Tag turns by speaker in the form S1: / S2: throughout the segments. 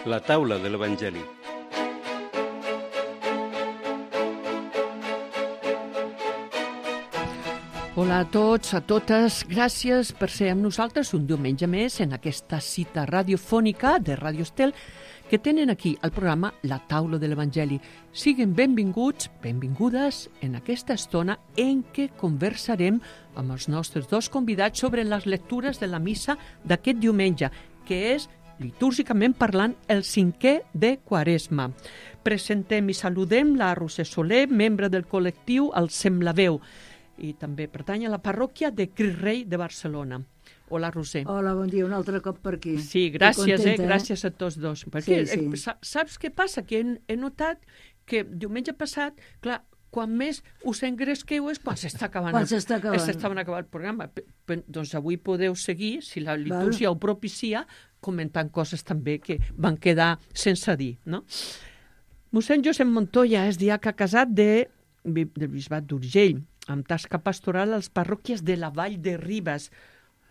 S1: La taula de l'Evangeli.
S2: Hola a tots, a totes. Gràcies per ser amb nosaltres un diumenge més en aquesta cita radiofònica de Radio Estel que tenen aquí al programa La taula de l'Evangeli. Siguin benvinguts, benvingudes en aquesta estona en què conversarem amb els nostres dos convidats sobre les lectures de la missa d'aquest diumenge, que és, litúrgicament parlant, el 5è de Quaresma. Presentem i saludem la Roser Soler, membre del col·lectiu El Semblaveu, i també pertany a la parròquia de Crist Rei de Barcelona. Hola, Roser.
S3: Hola, bon dia, un altre cop per aquí.
S2: Sí, gràcies,
S3: contenta,
S2: gràcies a tots dos. Perquè,
S3: Sí.
S2: saps què passa? Que he notat que diumenge passat, clar, quan més us engresqueu és quan s'està acabant, s'estava acabant el programa. Doncs avui podeu seguir, si la litúrgia ho propicia, comentant coses també que van quedar sense dir, no? Mossèn Josep Montoya és diaca casat del bisbat d'Urgell, amb tasca pastoral a les parròquies de la Vall de Ribes.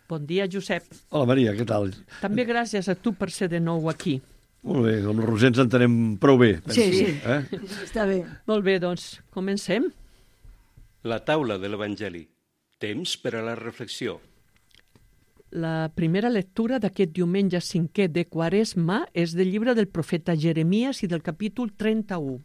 S2: Bon dia, Josep.
S4: Hola, Maria, què tal?
S2: També gràcies a tu per ser de nou aquí.
S4: Molt bé, amb la Roser ens entenem prou bé.
S3: Sí. Està bé.
S2: Molt bé, doncs, comencem.
S1: La taula de l'Evangeli. Temps per a la reflexió.
S2: La primera lectura d'aquest diumenge 5è de Quaresma és del llibre del profeta Jeremies i del capítol 31.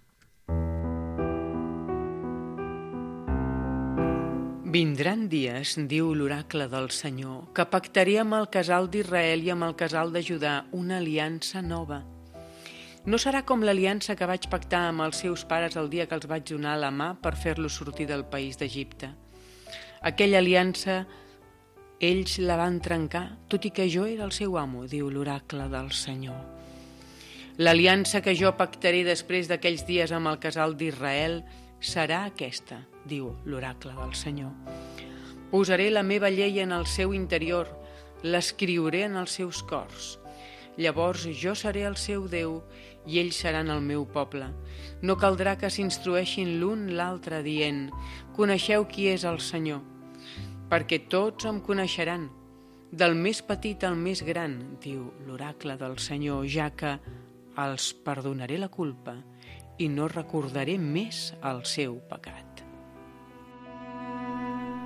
S5: Vindran dies, diu l'oracle del Senyor, que pactaré amb el casal d'Israel i amb el casal de Judà una aliança nova. No serà com l'aliança que vaig pactar amb els seus pares el dia que els vaig donar la mà per fer-los sortir del país d'Egipte. Aquella aliança ells la van trencar, tot i que jo era el seu amo, diu l'oracle del Senyor. L'aliança que jo pactaré després d'aquells dies amb el casal d'Israel serà aquesta, diu l'oracle del Senyor. Posaré la meva llei en el seu interior, l'escriuré en els seus cors. Llavors jo seré el seu Déu i ells seran el meu poble. No caldrà que s'instrueixin l'un l'altre dient: coneixeu qui és el Senyor, perquè tots em coneixeran, del més petit al més gran, diu l'oracle del Senyor, ja que els perdonaré la culpa i no recordaré més el seu pecat.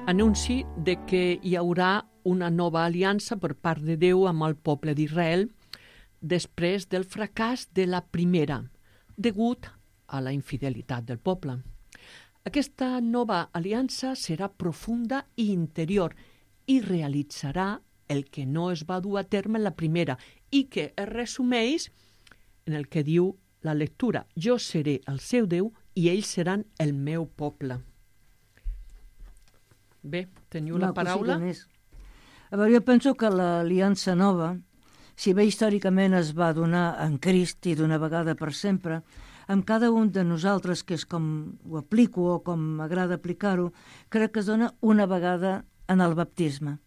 S2: Anunci de que hi haurà una nova aliança per part de Déu amb el poble d'Israel després del fracàs de la primera, degut a la infidelitat del poble. Aquesta nova aliança serà profunda i interior i realitzarà el que no es va dur a terme en la primera i que es resumeix en el que diu la lectura: jo seré el seu Déu i ells seran el meu poble. Bé, teniu la paraula?
S3: A veure, jo penso que l'aliança nova, si bé històricament es va donar en Crist i d'una vegada per sempre, amb cada un de nosaltres, que és com ho aplico o com m'agrada aplicar-ho, crec que es dona una vegada en el baptisme.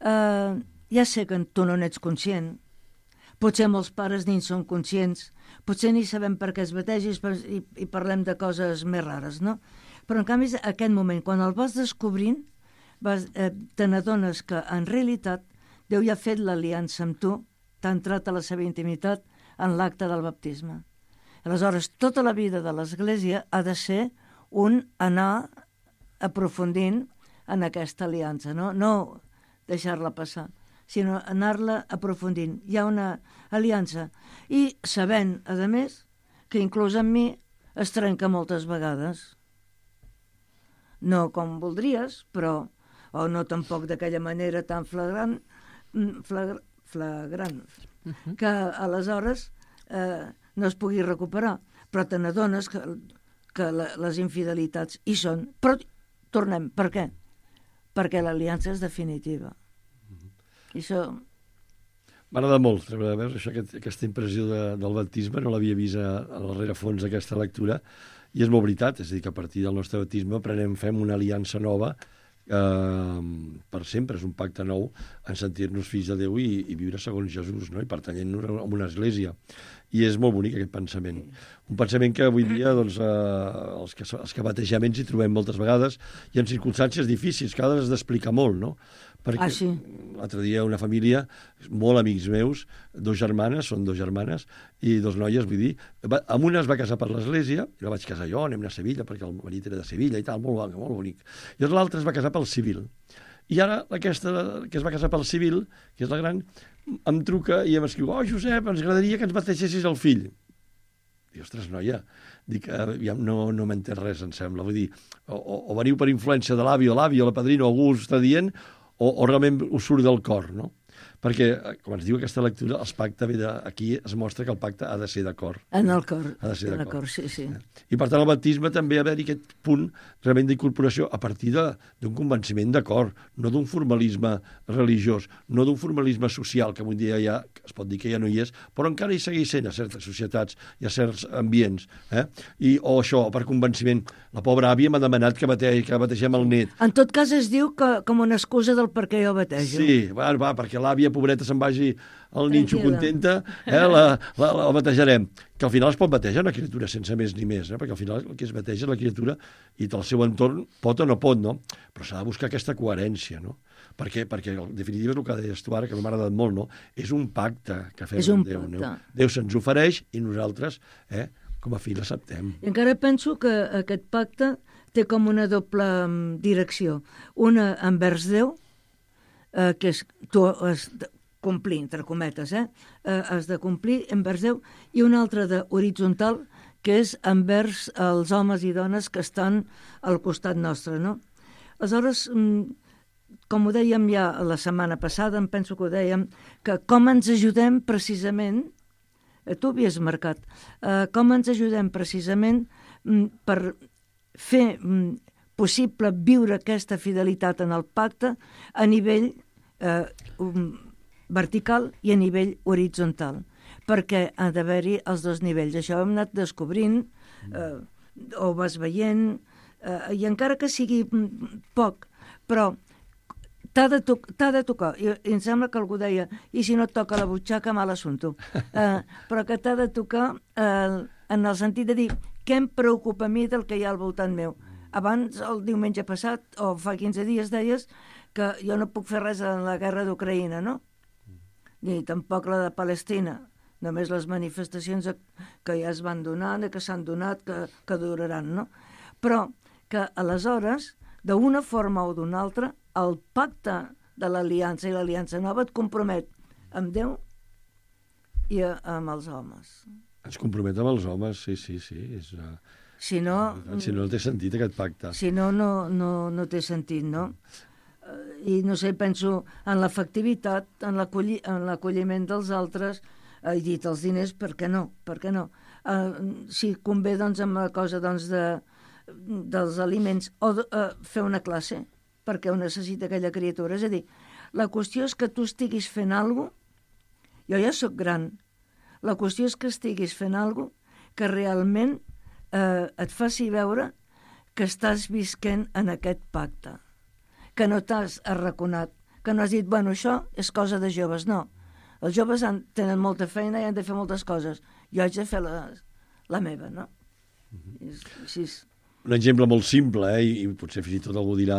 S3: Ja sé que tu no n'ets conscient, potser molts pares ni en són conscients, potser ni sabem per què es bategis i parlem de coses més rares, no? Però en canvi, aquest moment, quan el vas descobrint, te n'adones que en realitat Déu ja ha fet l'aliança amb tu, t'ha entrat a la seva intimitat en l'acte del baptisme. Aleshores, tota la vida de l'Església ha de ser un anar aprofundint en aquesta aliança, no deixar-la passar, sinó anar-la aprofundint. Hi ha una aliança. I sabent, a més, que inclús amb mi es trenca moltes vegades. No com voldries, però, o no tampoc d'aquella manera tan flagrant, que aleshores no es pugui recuperar. Però te n'adones que les infidelitats hi són. Però tornem, per què? Perquè l'aliança és definitiva. I això...
S4: M'agrada molt, aquesta impressió del baptisme, no l'havia vist a la rerefons d'aquesta lectura, i és molt veritat, és a dir, que a partir del nostre baptisme fem una aliança nova per sempre, és un pacte nou en sentir-nos fills de Déu i viure segons Jesús, no? I pertanyent a una església. I és molt bonic aquest pensament. Un pensament que avui dia doncs, els que bategem ens hi trobem moltes vegades i en circumstàncies difícils, que a vegades has d'explicar molt, no? Perquè
S3: sí.
S4: L'altre dia una família, molt amics meus, són dues germanes, i dos noies, vull dir, amb una es va casar per l'església, i la vaig casar jo, anem a Sevilla, perquè el marit era de Sevilla i tal, molt bonic. I l'altra es va casar pel civil. I ara aquesta que es va casar pel civil, que és la gran, em truca i em escriu: oh, Josep, ens agradaria que ens bategessis el fill. Dic, ostres, noia, dic, no m'entens res, em sembla. Vull dir, o veniu per influència de l'avi o la padrina, o algú us està dient, o realment us surt del cor, no? Perquè, com ens diu aquesta lectura, aquí es mostra que el pacte ha de ser d'acord.
S3: En el cor.
S4: Ha de ser d'acord.
S3: Sí.
S4: I per tant, el baptisme també ha d'haver-hi aquest punt realment d'incorporació a partir d'un convenciment d'acord, no d'un formalisme religiós, no d'un formalisme social, que avui dia ja es pot dir que ja no hi és, però encara hi segueix sent a certes societats i a certs ambients. O això, per convenciment. La pobra àvia m'ha demanat que bategem el net.
S3: En tot cas es diu que com una excusa del per què jo batejo.
S4: Sí, va, perquè l'àvia, pobreta, se'n vagi al ninxo contenta, la batejarem. Que al final es pot batejar una criatura sense més ni més, perquè al final el que es bateja és la criatura i del seu entorn pot o no pot, no? Però s'ha de buscar aquesta coherència, no? Perquè en definitiva, el que deies tu ara, que m'ha agradat molt, no? És un pacte que fem amb Déu. No? Déu se'ns ofereix i nosaltres, com a fill, l'acceptem.
S3: I encara penso que aquest pacte té com una doble direcció. Una envers Déu, que és tu has de complir, entre cometes, has de complir envers Déu, i una altra de horitzontal, que és envers els homes i dones que estan al costat nostre, no? Aleshores, com ho dèiem ja la setmana passada, em penso que ho dèiem, que com ens ajudem precisament, tu havies marcat, com ens ajudem precisament per fer possible viure aquesta fidelitat en el pacte a nivell vertical i a nivell horitzontal, perquè ha d'haver-hi els dos nivells. Això ho hem anat descobrint, ho vas veient, i encara que sigui poc, però t'ha de tocar, i em sembla que algú deia, i si no et toca la butxaca, mal assumpto, però que t'ha de tocar en el sentit de dir què em preocupa a mi del que hi ha al voltant meu. Abans, el diumenge passat, o fa 15 dies, deies que jo no puc fer res en la guerra d'Ucraïna, no? Ni tampoc la de Palestina, només les manifestacions que ja es van donant, que s'han donat, que duraran, no? Però que aleshores, d'una forma o d'una altra, el pacte de l'aliança i l'aliança nova et compromet amb Déu i amb els homes.
S4: Ens compromet amb els homes, sí.
S3: Si no
S4: té sentit aquest pacte.
S3: Si no té sentit, no? I no sé, penso en l'efectivitat, en l'acolliment dels altres, he dit els diners, per què no? Si convé, doncs, amb la cosa dels aliments, o fer una classe, perquè ho necessita aquella criatura. És a dir, la qüestió és que tu estiguis fent alguna cosa, jo ja sóc gran, la qüestió és que estiguis fent alguna cosa que realment et faci veure que estàs visquent en aquest pacte, que no t'has arraconat, que no has dit, bueno, això és cosa de joves. No, els joves tenen molta feina i han de fer moltes coses. Jo haig de fer la meva, no? Així és.
S4: Un exemple molt simple, i potser fins i tot algú dirà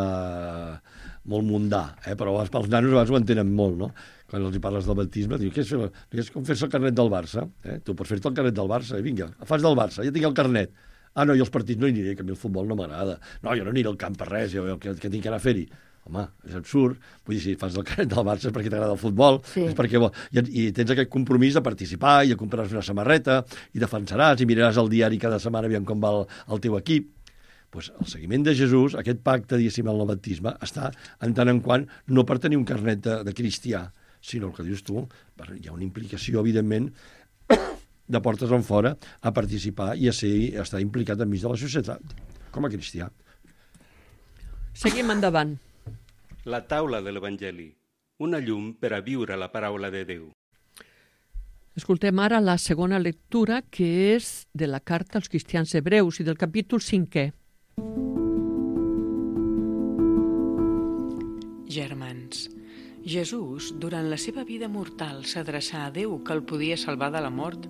S4: molt mundà, però els nanos a vegades ho entenen molt, no? Quan els parles del baptisme, diu, és com fer-se el carnet del Barça. Tu pots fer-te el carnet del Barça, vinga, fas del Barça, ja tinc el carnet. Ah, no, jo als partits no hi aniré, que a mi el futbol no m'agrada. No, jo no aniré al camp per res, que tinc que anar a fer-hi. Home, és absurd. Vull dir, si fas el carnet del Barça és perquè t'agrada el futbol, és perquè i tens aquest compromís de participar, i compraràs una samarreta, i defensaràs, i miraràs el diari cada setmana aviam com va el teu equip. Pues el seguiment de Jesús, aquest pacte, diguéssim, en el baptisme, està en tant en quant no per tenir un carnet de cristià, sinó el que dius tu, hi ha una implicació, evidentment, de portes en fora a participar i a estar implicat enmig de la societat, com a cristià.
S2: Seguim endavant.
S1: La taula de l'Evangeli, una llum per a viure la paraula de Déu.
S2: Escoltem ara la segona lectura, que és de la carta als cristians hebreus i del capítol 5è.
S5: Germans, Jesús, durant la seva vida mortal, s'adreçà a Déu, que el podia salvar de la mort,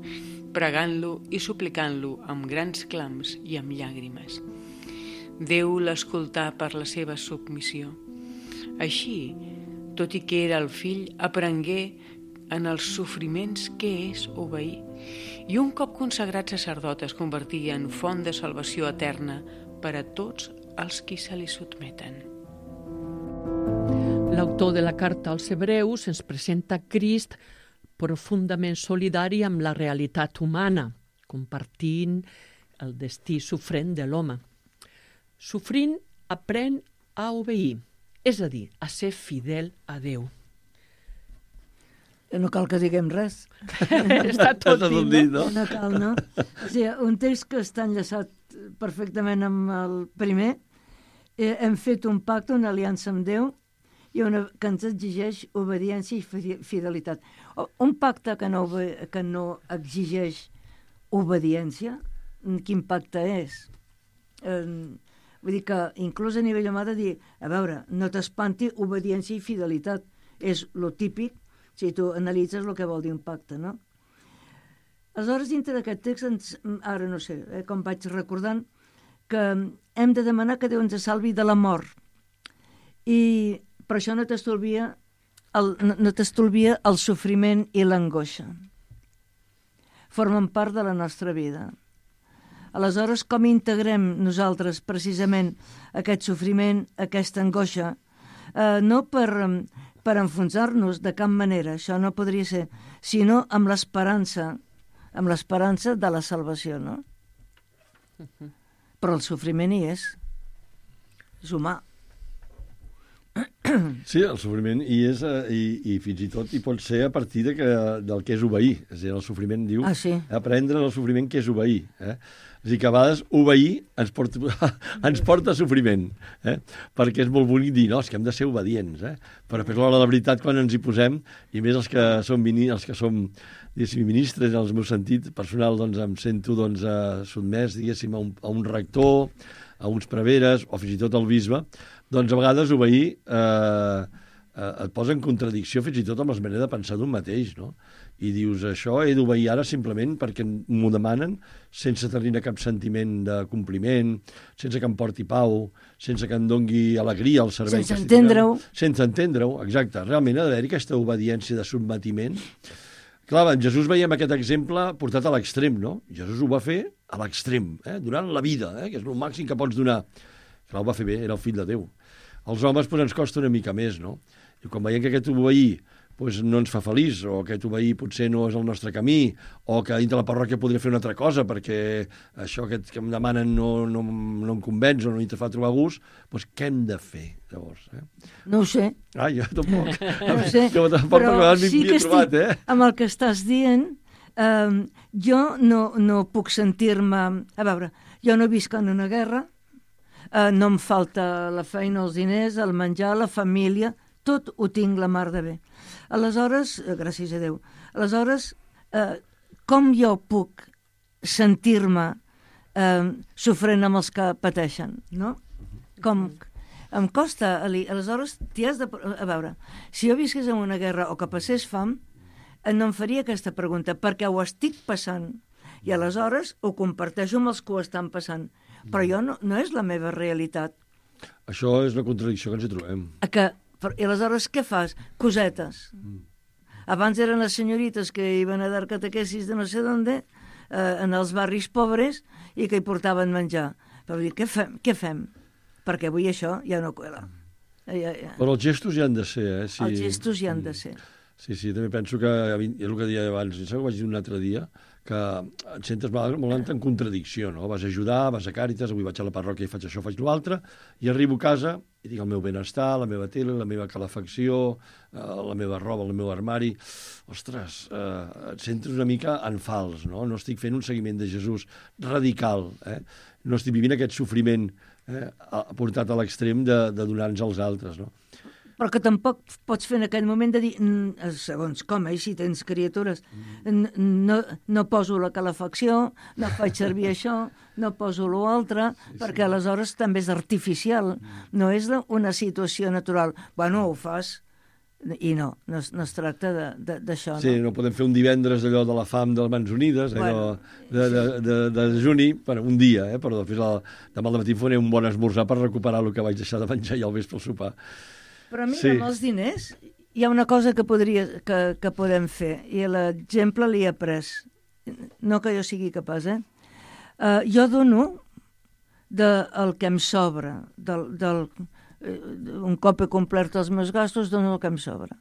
S5: pregant-lo i suplicant-lo amb grans clams i amb llàgrimes. Déu l'escoltà per la seva submissió. Així, tot i que era el fill, aprengué en els sofriments què és obeir, i un cop consagrat sacerdot es convertia en font de salvació eterna per a tots els qui se li sotmeten.
S2: L'autor de la carta als Hebreus ens presenta Crist profundament solidari amb la realitat humana, compartint el destí sofrent de l'home. Sofrint aprèn a obeir, és a dir, a ser fidel a Déu.
S3: No cal que diguem res.
S2: Està tot dit,
S4: no?
S3: No cal, no? O sigui, un text que està enllaçat perfectament amb el primer. Hem fet un pacte, una aliança amb Déu, i que ens exigeix obediència i fidelitat. Un pacte que no exigeix obediència, quin pacte és? Vull dir que inclús a nivell humà de dir, a veure, no t'espanti obediència i fidelitat. És lo típic si tu analitzes el que vol dir un pacte, no? Aleshores, dintre d'aquest text, ara no sé, com vaig recordant, que hem de demanar que Déu ens salvi de la mort. I per això no t'estolvia el sofriment i l'angoixa. Formen part de la nostra vida. Aleshores, com integrem nosaltres precisament aquest sofriment, aquesta angoixa? No per enfonsar-nos de cap manera, això no podria ser, sinó amb l'esperança de la salvació, no? Però el sofriment hi és humà.
S4: Sí, el sofriment hi és i fins i tot hi pot ser a partir del que és obeir. És a dir, el sofriment diu aprendre el sofriment que és obeir. És a dir, que a vegades obeir ens porta a sofriment, perquè és molt bonic dir, no, és que hem de ser obedients, però per l'hora de la veritat, quan ens hi posem, i més els que som diguéssim, ministres, en el meu sentit personal, doncs em sento sotmès, diguéssim, a un rector, a uns preveres, o fins i tot al bisbe, doncs a vegades obeir et posa en contradicció fins i tot amb la manera de pensar d'un mateix, no? I dius, això he d'obeir ara simplement perquè m'ho demanen, sense tenir cap sentiment de compliment, sense que em porti pau, sense que em dongui alegria al servei.
S3: Sense entendre-ho.
S4: Sense entendre-ho, exacte. Realment ha d'haver-hi aquesta obediència de sotmetiment. Clar, en Jesús veiem aquest exemple portat a l'extrem, no? Jesús ho va fer a l'extrem, durant la vida, que és el màxim que pots donar. Clar, ho va fer bé, era el fill de Déu. Els homes ens costa una mica més, no? I quan veiem que aquest obeir no ens fa feliç, o aquest obeir potser no és el nostre camí, o que dintre la parròquia podria fer una altra cosa, perquè això que em demanen no em convenç o no te fa trobar gust, doncs què hem de fer, llavors?
S3: No ho sé.
S4: Jo tampoc.
S3: No ho sé, però sí que estic amb el que estàs dient. Jo no puc sentir-me... A veure, jo no visc en una guerra, no em falta la feina, els diners, el menjar, la família, tot ho tinc la mar de bé. Aleshores, gràcies a Déu, aleshores, com jo puc sentir-me sofrent amb els que pateixen, no? Com em costa, aleshores, t'hi has de... A veure, si jo visqués en una guerra o que passés fam, no em faria aquesta pregunta, perquè ho estic passant, i aleshores ho comparteixo amb els que ho estan passant. Però jo no és la meva realitat.
S4: Això és la contradicció que ens hi trobem.
S3: I aleshores què fas? Cosetes. Abans eren les senyorites que iban a dar catequesis de no sé d'on, en els barris pobres, i que hi portaven menjar. Però dir, què fem? Perquè avui això ja no cuela.
S4: Però els gestos hi han de ser,
S3: Els gestos hi han de ser.
S4: Sí, també penso que, és el que deia abans, em sembla que vaig dir un altre dia, que et sentes molt en contradicció, no? Vas a ajudar, vas a Càritas, avui vaig a la parròquia i faig això, faig l'altre, i arribo a casa i dic el meu benestar, la meva tele, la meva calefacció, la meva roba, el meu armari... Ostres, et sentes una mica en fals, no? No estic fent un seguiment de Jesús radical, no estic vivint aquest sofriment portat a l'extrem de donar-nos als altres, no?
S3: Però que tampoc pots fer en aquell moment de dir, segons com, si tens criatures, no poso la calefacció, no faig servir això, no poso l'altre, perquè aleshores també és artificial, no és una situació natural. Bueno, ho fas I no es tracta d'això.
S4: Sí, no podem fer un divendres allò de la fam de les Mans Unides, allò de dejuni, per un dia, però demà al matí faré un bon esmorzar per recuperar el que vaig deixar de menjar i al vespre al sopar.
S3: Però mira, amb els diners hi ha una cosa que podem fer, i l'exemple l'he après. No que jo sigui capaç, jo dono del que em sobra, un cop he complert els meus gastos, dono el que em sobra.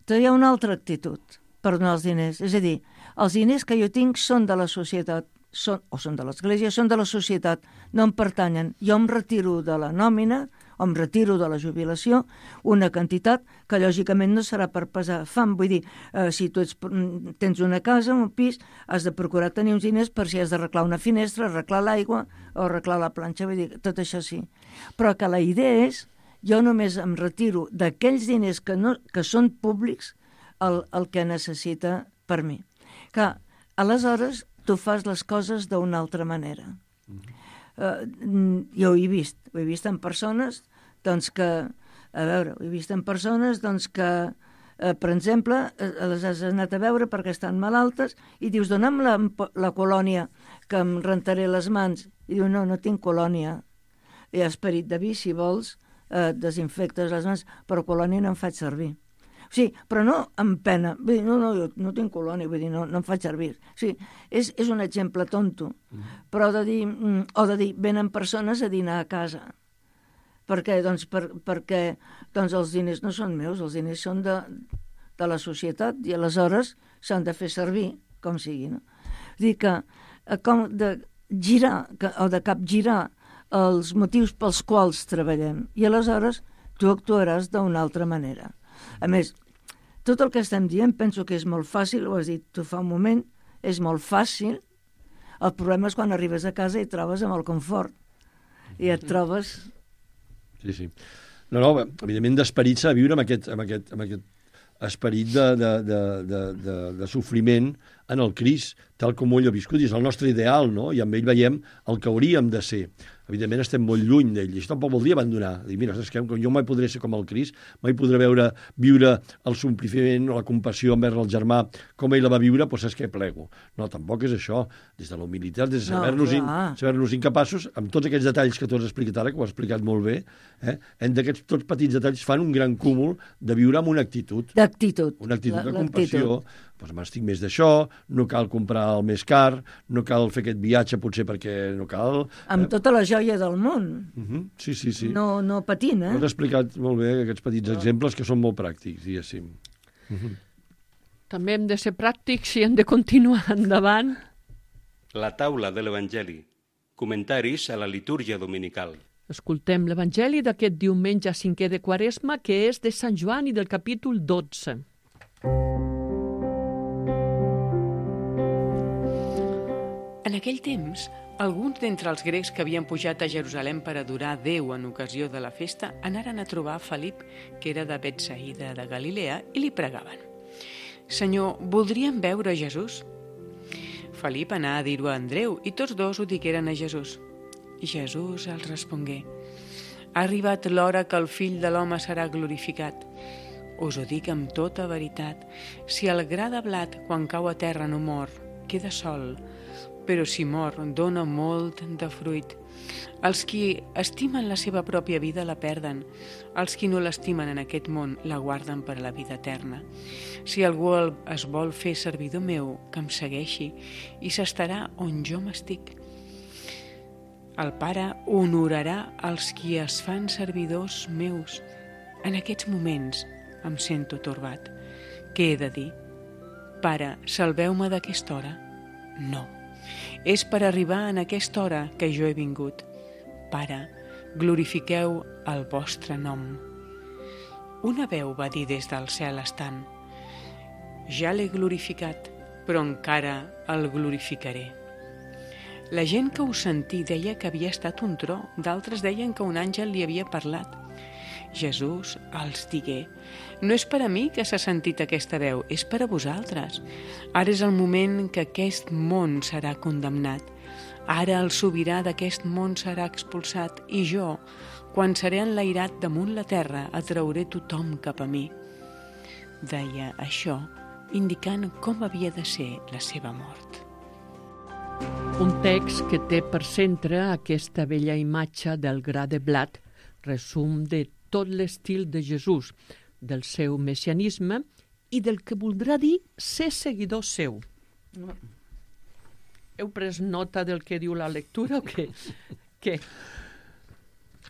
S3: Però hi ha una altra actitud per donar els diners. És a dir, els diners que jo tinc són de la societat, són de l'Església, són de la societat, no em pertanyen. Jo em retiro de la nòmina, o em retiro de la jubilació, una quantitat que lògicament no serà per pesar fam. Vull dir, si tu tens una casa, un pis, has de procurar tenir uns diners per si has d'arreglar una finestra, arreglar l'aigua o arreglar la planxa, vull dir, tot això sí. Però que la idea és, jo només em retiro d'aquells diners que són públics el que necessita per mi. Que aleshores tu fas les coses d'una altra manera. Jo ho he vist en persones doncs que, per exemple, les has anat a veure perquè estan malaltes i dius, dona'm la colònia que em rentaré les mans. I diu, no tinc colònia. Hi ha esperit de vi, si vols, desinfectes les mans, però colònia no em faig servir. O sigui, però no amb pena. Vull dir, jo no tinc colònia, vull dir, no em faig servir. O sigui, és un exemple tonto, però de dir, venen persones a dinar a casa. Per què? Doncs perquè els diners no són meus, els diners són de la societat i aleshores s'han de fer servir, com sigui. No? Dir que com de girar o de capgirar els motius pels quals treballem i aleshores tu actuaràs d'una altra manera. A més, tot el que estem dient penso que és molt fàcil, ho has dit tu fa un moment, és molt fàcil. El problema és quan arribes a casa i et trobes amb el confort i et trobes...
S4: Sí. No, evidentment d'esperit s'ha de viure amb aquest esperit de sofriment en el Crist, tal com ell ha viscut, i és el nostre ideal, no? I amb ell veiem el que hauríem de ser. Evidentment estem molt lluny d'ell, i això tampoc vol dir abandonar. Dir, mira, és que jo mai podré ser com el Crist, mai podré viure el sompliment o la compassió envers el germà com ell la va viure, doncs és que plego. No, tampoc és això. Des de la humilitat, des de saber-nos incapaços, amb tots aquests detalls que tu has explicat ara, que ho has explicat molt bé, d'aquests tots petits detalls fan un gran cúmul de viure amb una actitud. Una actitud de compassió. Doncs m'estic més d'això, no cal comprar el més car, no cal fer aquest viatge potser perquè no cal...
S3: Amb tota la joia del món.
S4: Sí.
S3: No patint,
S4: Has explicat molt bé aquests petits exemples que són molt pràctics, diguéssim.
S2: També hem de ser pràctics i hem de continuar endavant.
S1: La taula de l'Evangeli. Comentaris a la litúrgia dominical.
S2: Escoltem l'Evangeli d'aquest diumenge 5è de Quaresma, que és de Sant Joan i del capítol 12.
S5: En aquell temps, alguns d'entre els grecs que havien pujat a Jerusalem per adorar Déu en ocasió de la festa anaren a trobar Felip, que era de Betsaïda de Galilea, i li pregaven: «Senyor, voldríem veure Jesús?» Felip anà a dir-ho a Andreu i tots dos ho digueren a Jesús. I Jesús els respongué: «Ha arribat l'hora que el Fill de l'home serà glorificat. Us ho dic amb tota veritat, si el gra de blat, quan cau a terra, no mor, queda sol, però si mor, dona molt de fruit. Els qui estimen la seva pròpia vida la perden. Els qui no l'estimen en aquest món la guarden per a la vida eterna. Si algú es vol fer servidor meu, que em segueixi i s'estarà on jo m'estic. El Pare honorarà els qui es fan servidors meus. En aquests moments em sento torbat. Què he de dir? Pare, salveu-me d'aquesta hora? No. És per arribar en aquesta hora que jo he vingut. Pare, glorifiqueu el vostre nom. Una veu va dir des del cel estant: ja l'he glorificat, però encara el glorificaré. La gent que ho sentí deia que havia estat un tro, d'altres deien que un àngel li havia parlat. Jesús els digué: no és per a mi que s'ha sentit aquesta veu, és per a vosaltres. Ara és el moment que aquest món serà condemnat. Ara el sobirà d'aquest món serà expulsat i jo, quan seré enlairat damunt la terra, atrauré tothom cap a mi. deia això, indicant com havia de ser la seva mort.
S2: Un text que té per centre aquesta bella imatge del gra de blat, resum de tot l'estil de Jesús, del seu messianisme i del que voldrà dir ser seguidor seu. Heu pres nota del que diu la lectura o què? Què?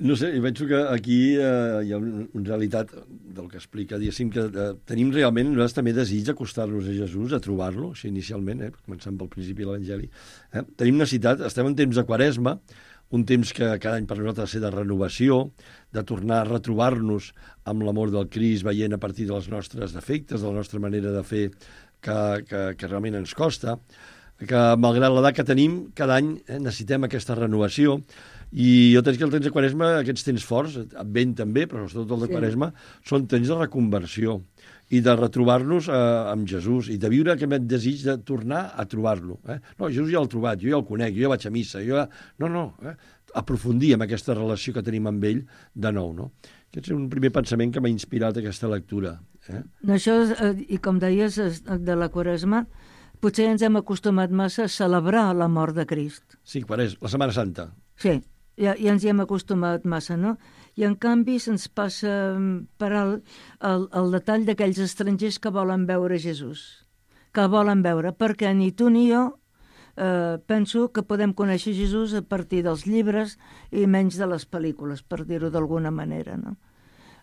S4: No sé, jo penso que aquí hi ha una realitat del que explica, diguéssim, que tenim realment nosaltres també desig d'acostar-nos a Jesús, a trobar-lo, així inicialment, començant pel principi de l'Evangeli. Tenim necessitat, estem en temps de Quaresma, un temps que cada any per nosaltres ha de ser de renovació, de tornar a retrobar-nos amb l'amor del Crist, veient a partir dels nostres defectes, de la nostra manera de fer que realment ens costa, que malgrat l'edat que tenim, cada any necessitem aquesta renovació. I jo penso que el temps de Quaresma, aquests temps forts, Advent també, però sobretot el de Quaresma, són temps de reconversió i de retrobar-nos amb Jesús i de viure aquest desig de tornar a trobar-lo. No, Jesús ja l'he trobat, jo ja el conec, jo ja vaig a missa, aprofundir en aquesta relació que tenim amb ell de nou, no? Aquest és un primer pensament que m'ha inspirat aquesta lectura.
S3: Això, i com deies, de la Quaresma, potser ens hem acostumat massa a celebrar la mort de Crist.
S4: Sí, Quaresma, la Setmana Santa.
S3: Sí, ja ens hi hem acostumat massa, no? I en canvi se'ns passa per alt el detall d'aquells estrangers que volen veure Jesús, que volen veure, perquè ni tu ni jo penso que podem conèixer Jesús a partir dels llibres i menys de les pel·lícules, per dir-ho d'alguna manera, no?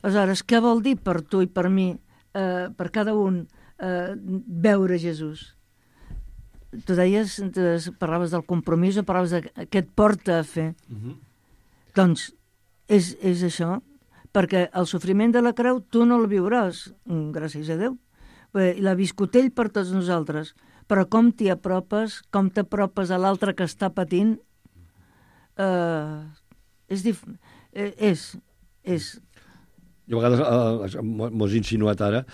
S3: Aleshores, què vol dir per tu i per mi, per cada un, veure Jesús? Tu deies, parlaves del compromís o parlaves de què et porta a fer. Doncs és això, perquè el sofriment de la creu tu no el viuràs, gràcies a Déu. L'ha viscut ell per tots nosaltres, però com t'hi apropes, com t'apropes a l'altre que està patint, és
S4: I a vegades, m'ho has insinuat ara,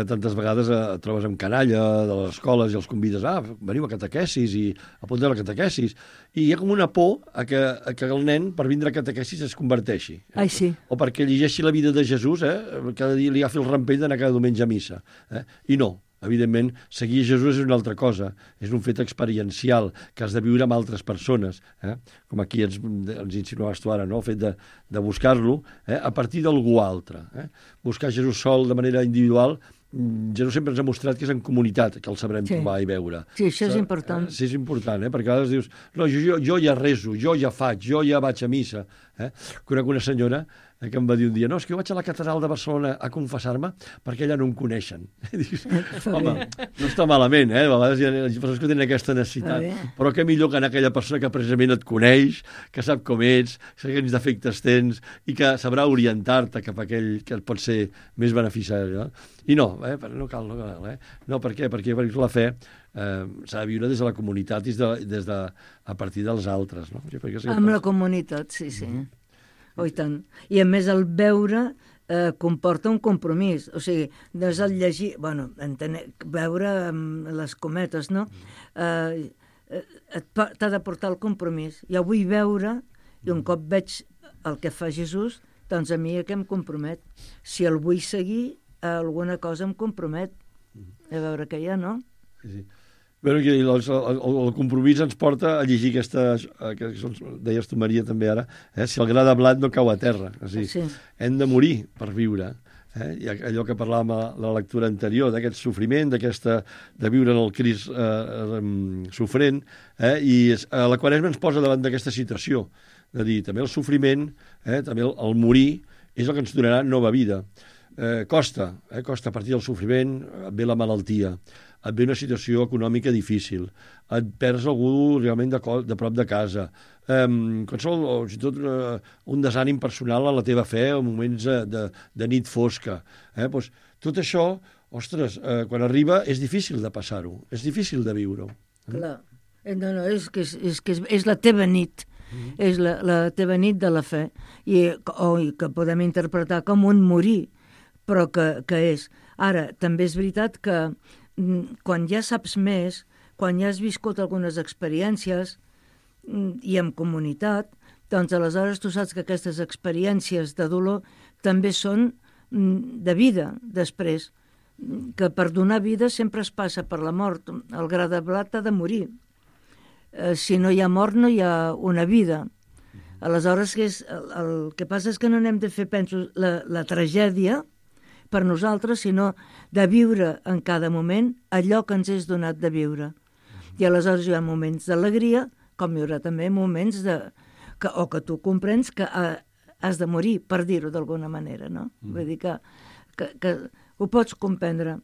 S4: tantes vegades et trobes amb canalla de les escoles i els convides, veniu a catequesis i apunteu a la catequesis. I hi ha com una por a que el nen, per vindre a catequesis, es converteixi.
S3: Ai, sí.
S4: O perquè llegeixi la vida de Jesús, cada dia li agafi el rampell d'anar cada diumenge a missa. I no. Evidentment, seguir Jesús és una altra cosa, és un fet experiencial que has de viure amb altres persones, com aquí ens insinuaves tu ara, no? El fet de buscar-lo a partir d'algú altre. Buscar Jesús sol de manera individual, Jesús sempre ens ha mostrat que és en comunitat que el sabrem trobar i veure.
S3: Sí, això és important.
S4: Sí, és important, perquè a vegades dius, no, jo ja rezo, jo ja faig, jo ja vaig a missa. Conec una senyora que em va dir un dia, no, és que jo vaig a la catedral de Barcelona a confessar-me perquè allà no em coneixen. Dius, home, no està malament, a vegades hi ha persones que tenen aquesta necessitat, però què millor que anar a aquella persona que precisament et coneix, que sap com ets, que quins defectes tens i que sabrà orientar-te cap a aquell que et pot ser més beneficiari. I no, no cal. No, per què? Perquè la fe s'ha de viure des de la comunitat i a partir dels altres. No?
S3: Amb la comunitat, sí. Oh, i tant. I a més el veure comporta un compromís. O sigui, no és el llegir... veure amb les cometes, no? T'ha de portar el compromís. Jo vull veure, i un cop veig el que fa Jesús, doncs a mi que em compromet. Si el vull seguir, alguna cosa em compromet. A veure què hi ha, no?
S4: Sí. Bueno, el compromís ens porta a llegir aquestes, que deies tu, Maria, també ara, si el gra de blat no cau a terra. O sigui, hem de morir per viure. I allò que parlàvem a la lectura anterior, d'aquest sofriment, de viure en el Crist sofrent, i la Quaresma ens posa davant d'aquesta situació, de dir, també el sofriment, també el morir, és el que ens donarà nova vida. Costa a partir del sofriment, ve la malaltia, et ve una situació econòmica difícil, et perds algú realment de prop de casa, qualsevol, o tot un desànim personal a la teva fe, en moments de nit fosca. Doncs, tot això, ostres, quan arriba és difícil de passar-ho, és difícil de viure-ho.
S3: Clar, no, és que és la teva nit, és la teva nit de la fe, i que podem interpretar com un morir, però que és. Ara, també és veritat que quan ja saps més, quan ja has viscut algunes experiències i en comunitat, doncs aleshores tu saps que aquestes experiències de dolor també són de vida després. que per donar vida sempre es passa per la mort. El gra de blat ha de morir. Si no hi ha mort, no hi ha una vida. Aleshores, el que passa és que no n'hem de fer, penso, la tragèdia per nosaltres, sinó de viure en cada moment allò que ens és donat de viure. I aleshores hi ha moments d'alegria, com hi haurà també moments que tu comprens que has de morir, per dir-ho d'alguna manera, no? Vull dir que ho pots comprendre.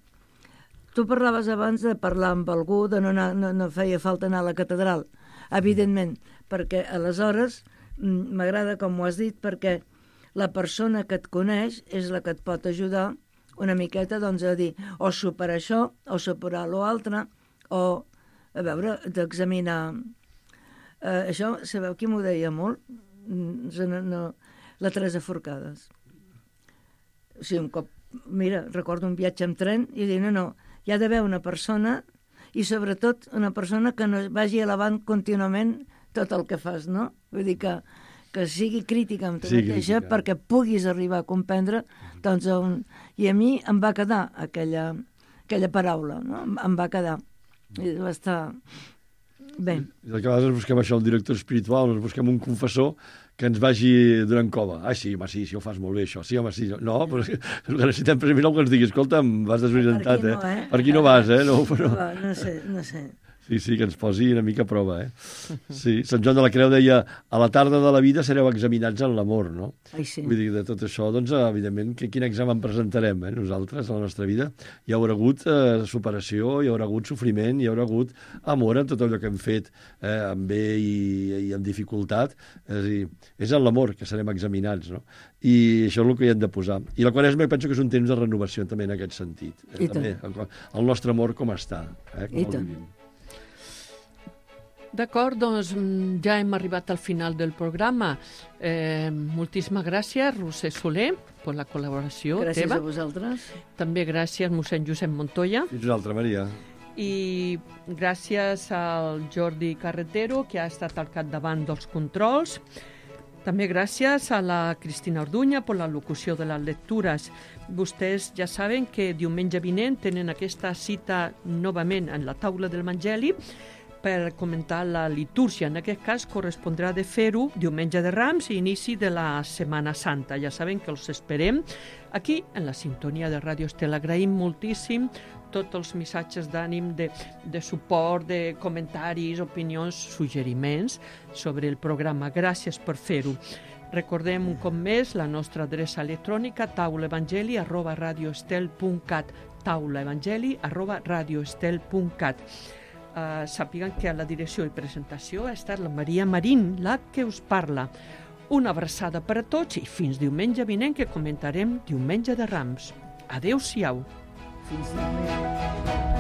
S3: Tu parlaves abans de parlar amb algú, de no feia falta anar a la catedral. Evidentment, perquè aleshores m'agrada com ho has dit, perquè la persona que et coneix és la que et pot ajudar una miqueta doncs, a dir o superar això, o superar l'altre, o a veure, d'examinar. Això, sabeu qui m'ho deia molt? La Teresa Forcades. O sigui, un cop, mira, recordo un viatge amb tren i dir, no, hi ha d'haver una persona i sobretot una persona que no vagi elevant contínuament tot el que fas, no? Vull dir que sigui crítica amb tu mateixa perquè puguis arribar a comprendre doncs i a mi em va quedar aquella paraula, no? Em va quedar. I va estar bé.
S4: I que a vegades busquem això, el director espiritual, ens busquem un confessor que ens vagi donant cova. Sí, home, sí, ho fas molt bé, això. Sí, home, sí. No, però el que necessitem precisament que ens digui, escolta, em vas desorientat, Per aquí no vas, No sé. Sí, que ens posi una mica a prova, Sí, Sant Joan de la Creu deia, a la tarda de la vida sereu examinats en l'amor, no?
S3: Ai, sí.
S4: Vull dir, de tot això, doncs, evidentment, quin examen presentarem, nosaltres, a la nostra vida? Hi haurà hagut superació, hi haurà hagut sofriment, hi haurà hagut amor en tot allò que hem fet, amb bé i amb dificultat. És a dir, és en l'amor que serem examinats, no? I això és el que hi hem de posar. I la Quaresma penso que és un temps de renovació també en aquest sentit. També, el nostre amor com està, com el vivim.
S2: D'acord, doncs ja hem arribat al final del programa. Moltíssimes gràcies, Roser Soler, per la col·laboració
S3: gràcies
S2: teva.
S3: Gràcies a vosaltres.
S2: També gràcies, mossèn Josep Montoya.
S4: Fins una altra, Maria.
S2: I gràcies al Jordi Carretero, que ha estat al capdavant dels controls. També gràcies a la Cristina Orduña per la locució de les lectures. Vostès ja saben que diumenge vinent tenen aquesta cita novament en la taula del Evangeli per comentar la litúrgia. En aquest cas correspondrà de fer-ho diumenge de Rams i inici de la Setmana Santa. Ja saben que els esperem aquí en la sintonia de Ràdio Estel. Agraïm moltíssim tots els missatges d'ànim, de suport, de comentaris, opinions, suggeriments sobre el programa. Gràcies per fer-ho. Recordem un cop més la nostra adreça electrònica taulaevangeli@radioestel.cat taulaevangeli@radioestel.cat. Sàpiguen que a la direcció i presentació ha estat la Maria Marín, la que us parla. Una abraçada per a tots i fins diumenge vinent que comentarem Diumenge de Rams. Adéu-siau.
S3: Fins diumenge.